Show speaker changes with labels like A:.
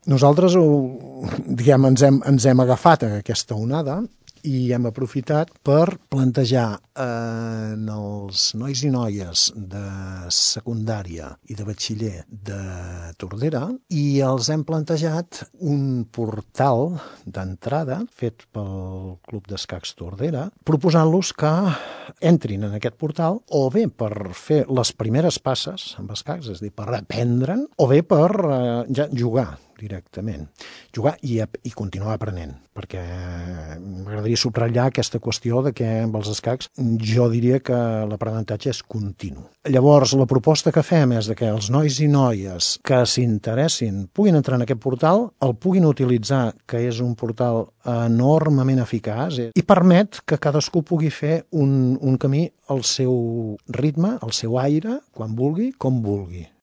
A: Nosaltres diguem, ens hem agafat a aquesta onada i hem aprofitat per plantejar els nois i noies de secundària i de batxiller de Tordera i els hem plantejat un portal d'entrada fet pel Club d'Escacs Tordera, proposant-los que entrin en aquest portal o bé per fer les primeres passes amb escacs, és a dir, per aprendre'n, o bé per ja jugar directament. Jugar i continuar aprenent, perquè m'agradaria subratllar aquesta qüestió de que amb els escacs jo diria que l'aprenentatge és continu. Llavors, la proposta que fem és que els nois i noies que s'interessin puguin entrar en aquest portal, el puguin utilitzar, que és un portal enormement eficaç i permet que cadascú pugui fer un camí al seu ritme, al seu aire, quan vulgui, com vulgui.